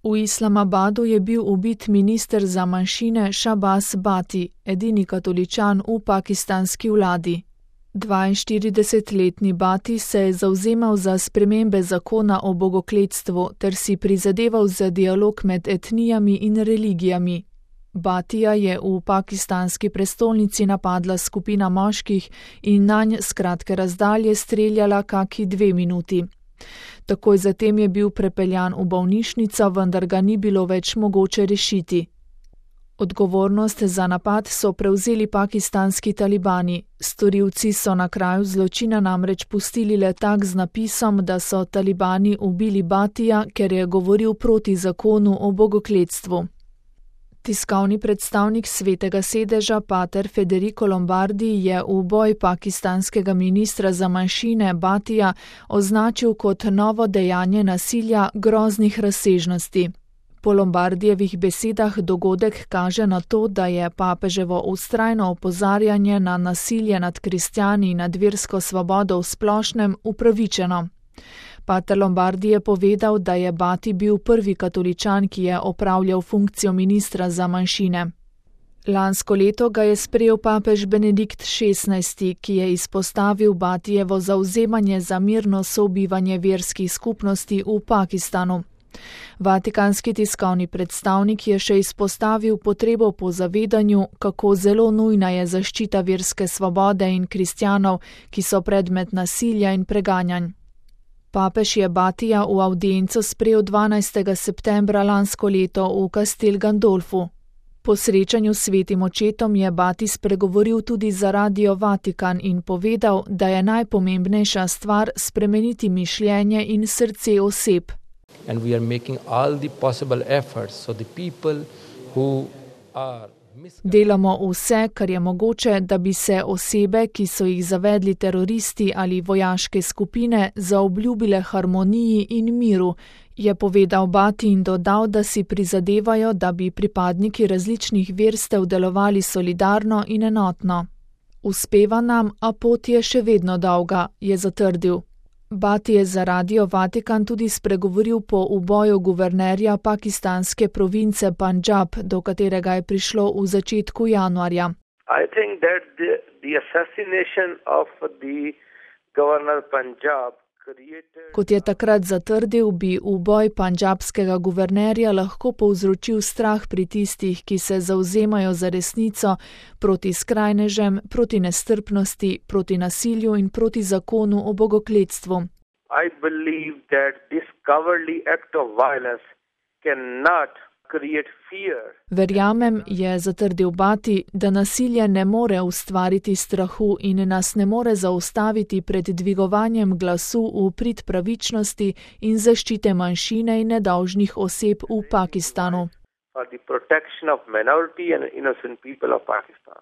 V Islamabadu je bil ubit minister za manjšine Shahbaz Bhatti, edini katoličan v pakistanski vladi. 42-letni Bhatti se je zavzemal za spremembe zakona o bogokletstvu ter si prizadeval za dialog med etnijami in religijami. Bhattija je v pakistanski prestolnici napadla skupina moških in nanj s kratke razdalje streljala kaki 2 minuti. Takoj zatem je bil prepeljan v bolnišnico, vendar ga ni bilo več mogoče rešiti. Odgovornost za napad so prevzeli pakistanski talibani. Storilci so na kraju zločina namreč pustili letak z napisom, da so talibani ubili Bhattija, ker je govoril proti zakonu o bogokletstvu. Tiskovni predstavnik Svetega sedeža pater Federico Lombardi je uboj pakistanskega ministra za manjšine Bhattija označil kot novo dejanje nasilja groznih razsežnosti. Po Lombardijevih besedah dogodek kaže na to, da je papeževo vztrajno opozarjanje na nasilje nad kristjani in nad versko svobodo v splošnem upravičeno. Pater Lombardi je povedal, da je Bhatti bil prvi katoličan, ki je opravljal funkcijo ministra za manjšine. Lansko leto ga je sprejel papež Benedikt XVI, ki je izpostavil Bhattijevo zavzemanje za mirno sobivanje verskih skupnosti v Pakistanu. Vatikanski tiskovni predstavnik je še izpostavil potrebo po zavedanju, kako zelo nujna je zaščita verske svobode in kristjanov, ki so predmet nasilja in preganjanj. Papež je Bhattija v avdienco sprejel 12. septembra lansko leto v Castel Gandolfu. Po srečanju s svetim očetom je Bhatti spregovoril tudi za Radio Vatikan in povedal, da je najpomembnejša stvar spremeniti mišljenje in srce oseb. And we are making all the possible efforts so the people who are Delamo vse, kar je mogoče, da bi se osebe, ki so jih zavedli teroristi ali vojaške skupine, zaobljubile harmoniji in miru, je povedal Bhatti in dodal, da si prizadevajo, da bi pripadniki različnih verstev delovali solidarno in enotno. Uspeva nam, a pot je še vedno dolga, je zatrdil. Bhatti je za Radio Vatikan tudi spregovoril po uboju guvernerja pakistanske province Punjab, do katerega je prišlo v začetku januarja. I think that the assassination of the governor Punjab created... Kot je takrat zatrdil, bi uboj punjabskega guvernerja lahko povzročil strah pri tistih, ki se zavzemajo za resnico, proti skrajnežem, proti nestrpnosti, proti nasilju in proti zakonu o bogokletstvu. I believe that this cowardly act of violence cannot create fear. Verjamem, je zatrdil Bhatti, da nasilje ne more ustvariti strahu in nas ne more zaustaviti pred dvigovanjem glasu v prid pravičnosti in zaščite manjšine in nedolžnih oseb v Pakistanu. For the protection of minority and innocent people of Pakistan.